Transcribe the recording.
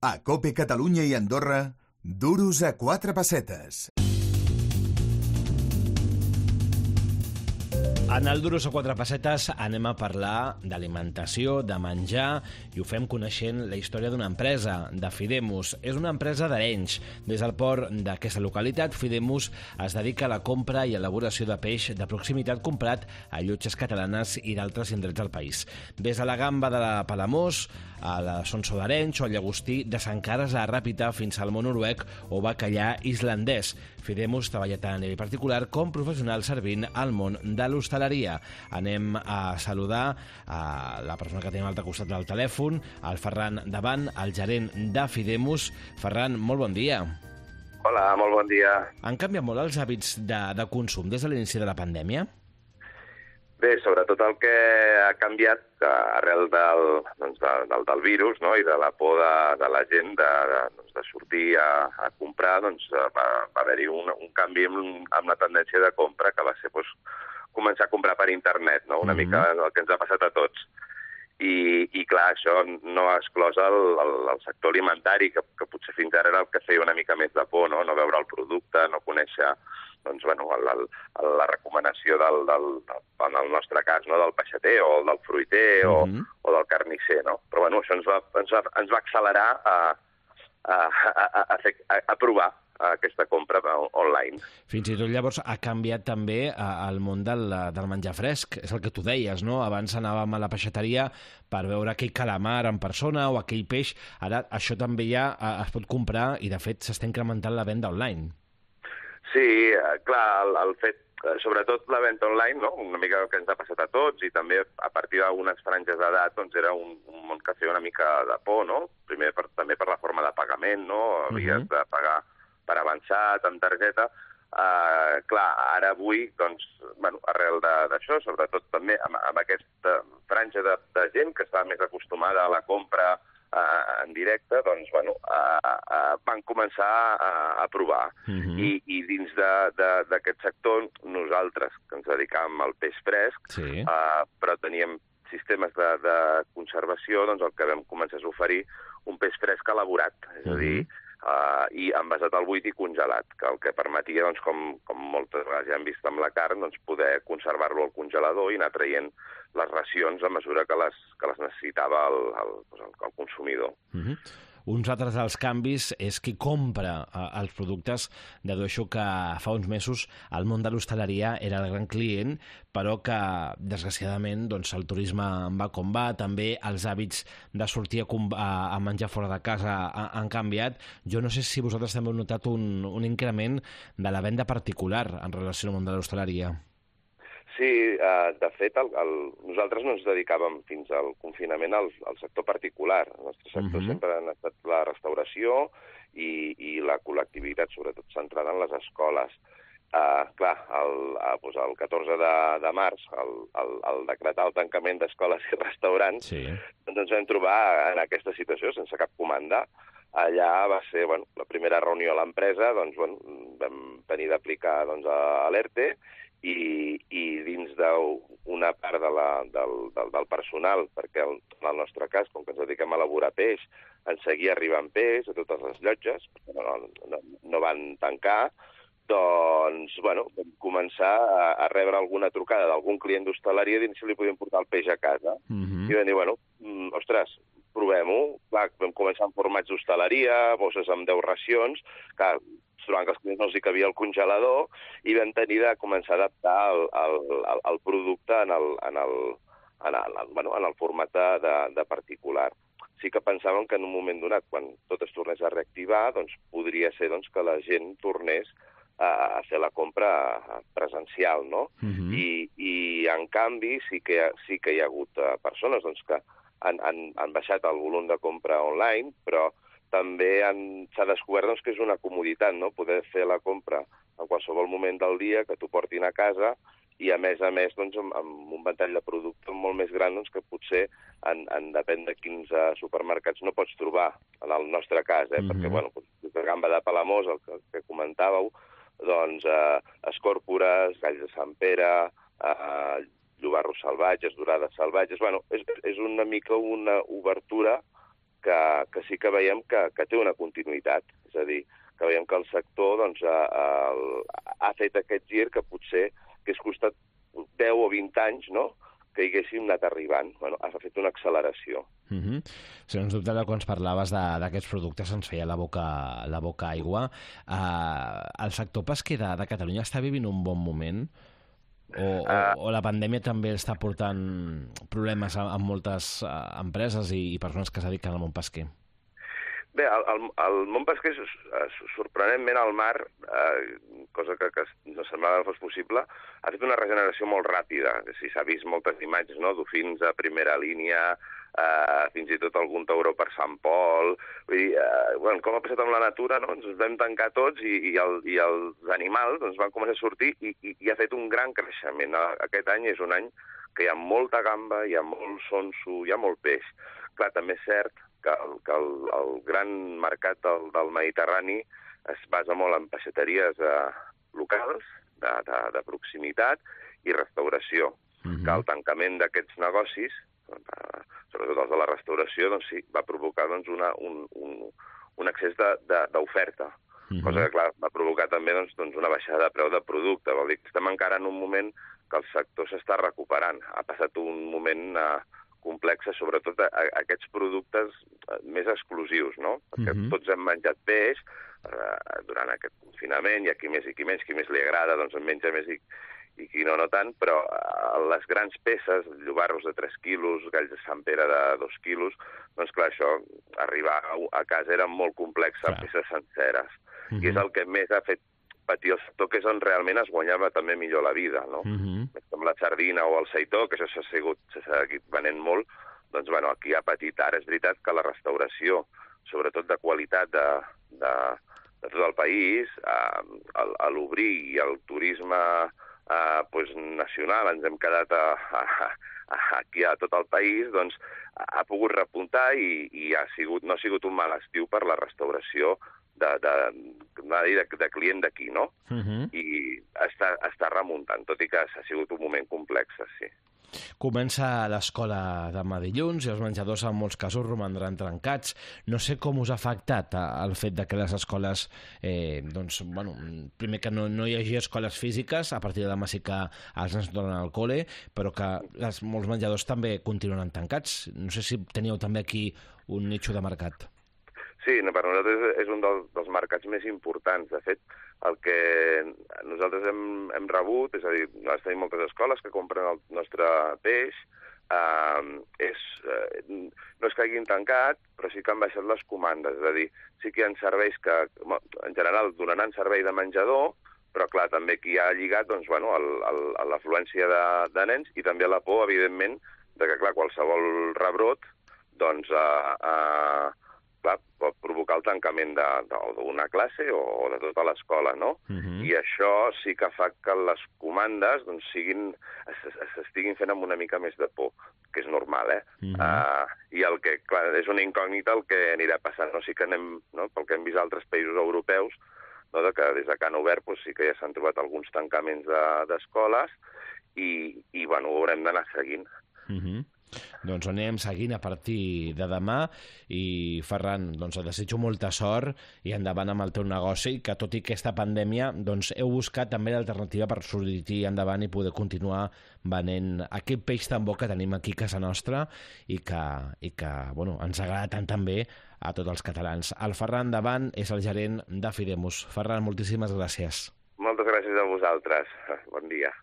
A COPE Catalunya i Andorra, duros a 4 pessetes. En el Duros a 4 pessetes anem a parlar d'alimentació, de menjar, i ho fem coneixent la història d'una empresa, de Fidemus. És una empresa d'Arenys. Des del port d'aquesta localitat, Fidemus es dedica a la compra i elaboració de peix de proximitat comprat a llotges catalanes i d'altres indrets del país. Des de la gamba de la Palamós, a la Sonso d'Arenys o al llagostí de Sant Carles a Ràpita fins al món noruec o bacallà islandès. Fidemus treballa tant a nivell particular com professional servint al món de l'hostaleria. Anem a saludar a la persona que tenim a l'altre costat del telèfon, el Ferran Davant, el gerent de Fidemus. Ferran, molt bon dia. Hola, molt bon dia. Han canviat molt els hàbits de consum des de l'inici de la pandèmia? Bé, sobretot el que ha canviat arrel del virus, no? I de la por de la gent de sortir a comprar, va haver-hi un canvi amb la tendència de compra que va ser començar a comprar per internet, no? Una mica el que ens ha passat a tots. I clar, això no ha exclòs el sector alimentari, que potser fins ara era el que feia una mica més de por, no veure el producte, no conèixer la recomanació en el nostre cas, del peixater o del fruiter o del carnisser, no? Però això ens va accelerar a provar aquesta compra online. Fins i tot llavors ha canviat també el món del menjar fresc. És el que tu deies, no? Abans anàvem a la peixateria per veure aquell calamar en persona o aquell peix. Ara això també ja es pot comprar i de fet s'està incrementant la venda online. Sí, clar, el fet, sobretot la venda online, no? Una mica que ens ha passat a tots, i també a partir d'algunes franges d'edat era un món que feia una mica de por, no? Primer també per la forma de pagament, no? Havies de pagar per avançat, amb targeta. Clar, ara avui, arrel d'això, sobretot també amb aquesta franja de gent que estava més acostumada a la compra en directe, van començar a provar. I dins d'aquest sector, nosaltres, que ens dedicàvem al peix fresc, però teníem sistemes de conservació, el que vam començar és oferir un peix fresc elaborat, és a dir, i envasat al buit i congelat, que el que permetia, com moltes vegades ja hem vist amb la carn, poder conservar-lo al congelador i anar traient les racions a mesura que les necessitava el consumidor. Uns altres dels canvis és qui compra els productes. Dedueixo que fa uns mesos el món de l'hostaleria era el gran client, però que, desgraciadament, el turisme va com va, també els hàbits de sortir a menjar fora de casa han canviat. Jo no sé si vosaltres també heu notat un increment de la venda particular en relació al món de l'hostaleria. Sí, de fet, nosaltres no ens dedicàvem fins al confinament al sector particular. El nostre sector sempre ha estat la restauració i la col·lectivitat, sobretot centrada en les escoles. Clar, el 14 de març, al decretar el tancament d'escoles i restaurants, ens vam trobar en aquesta situació, sense cap comanda. Allà va ser la primera reunió a l'empresa, vam tenir d'aplicar l'ERTE, i dins d'una part del personal, perquè en el nostre cas, com que ens dediquem a elaborar peix, ens seguia arribant peix a totes les llotges, perquè no van tancar, vam començar a rebre alguna trucada d'algun client d'hostaleria dient si li podien portar el peix a casa. I vam dir, ostres, provem-ho. Vam començar amb formats d'hostaleria, bosses amb 10 racions, que trobant que els clients no els hi cabia el congelador, i vam tenir de començar a adaptar el producte en el format de particular. Sí que pensàvem que en un moment donat, quan tot es tornés a reactivar, podria ser que la gent tornés a fer la compra presencial, no? I en canvi sí que hi ha hagut persones que han baixat el volum de compra online, però també s'ha descobert que és una comoditat, no? Poder fer la compra en qualsevol moment del dia, que t'ho portin a casa, i a més amb un ventall de productes molt més gran que potser, depèn de quins supermercats, no pots trobar, en el nostre cas, perquè, la gamba de Palamós, el que comentàveu, escòrpores, galls de Sant Pere, llobarros salvatges, dorades salvatges. És una mica una obertura que sí que veiem que té una continuïtat. És a dir, que veiem que el sector doncs, ha fet aquest gir que potser hagués costat 10 o 20 anys, no?, que hi haguéssim anat arribant. Bueno, ha fet una acceleració. Sens dubte, quan ens parlaves d'aquests productes ens feia la boca aigua. El sector pesquer de Catalunya està vivint un bon moment? O la pandèmia també està portant problemes a moltes empreses i persones que es dediquen al món pesquer? Bé, el món pesquer, sorprenentment, al mar, cosa que no semblava que fos possible, ha fet una regeneració molt ràpida. S'ha vist moltes imatges, no?, dofins a primera línia, fins i tot algun tauró per Sant Pol. Vull dir, com ha passat amb la natura, no?, ens vam tancar tots i els animals van començar a sortir i ha fet un gran creixement. Aquest any és un any que hi ha molta gamba, hi ha molt sonso, hi ha molt peix. Clar, també és cert que el gran mercat del Mediterrani es basa molt en peixateries locals, de proximitat i restauració. Que el tancament d'aquests negocis, sobretot els de la restauració, doncs sí, va provocar un excés d'oferta. Cosa que, clar, va provocar també una baixada de preu de producte. Vol dir que estem encara en un moment que el sector s'està recuperant. Ha passat un moment complexa, sobretot aquests productes més exclusius, no? Perquè tots hem menjat peix durant aquest confinament, i a qui més i qui menys, qui més li agrada, doncs en menja més i qui no tant, però les grans peces, llobarros de 3 quilos, galls de Sant Pere de 2 quilos, doncs clar, això, arribar a casa era molt complex, peces senceres. I és el que més ha fet patir el sector, que és on realment es guanyava també millor la vida, no? Com la sardina o el seitó, que això s'ha seguit venent molt, doncs, bueno, aquí ha patit. Ara és veritat que la restauració, sobretot de qualitat de tot el país, a l'obrir i el turisme nacional, ens hem quedat aquí a tot el país, doncs ha pogut repuntar i no ha sigut un mal estiu per la restauració de client d'aquí, no? I està remuntant, tot i que ha sigut un moment complex, sí. Comença l'escola demà dilluns i els menjadors en molts casos romandran trencats. No sé com us ha afectat el fet que les escoles, primer que no hi hagi escoles físiques, a partir de demà sí que els nens tornen al col·le, però que molts menjadors també continuen tancats. No sé si teníeu també aquí un nicho de mercat. Sí, per nosaltres és un dels mercats més importants. De fet, el que nosaltres hem rebut, és a dir, tenim moltes escoles que compren el nostre peix, no és que hagin tancat, però sí que han baixat les comandes. És a dir, sí que hi ha serveis que, en general, donaran servei de menjador, però, clar, també aquí ha lligat l'afluència de nens i també la por, evidentment, de que, clar, qualsevol rebrot, doncs, pot provocar el tancament d'una classe o de tota l'escola, no? I això sí que fa que les comandes s'estiguin fent amb una mica més de por, que és normal, I el que, clar, és una incògnita el que anirà passant. Sí que anem, pel que hem vist a altres països europeus, que des que han obert sí que ja s'han trobat alguns tancaments d'escoles i ho haurem d'anar seguint. Doncs anem seguint a partir de demà i, Ferran, et desitjo molta sort i endavant amb el teu negoci, que tot i aquesta pandèmia heu buscat també l'alternativa per sortir endavant i poder continuar venent aquest peix tan bo que tenim aquí a casa nostra i que ens agrada tant també a tots els catalans. El Ferran Davant és el gerent de Fidemus. Ferran, moltíssimes gràcies. Moltes gràcies a vosaltres. Bon dia.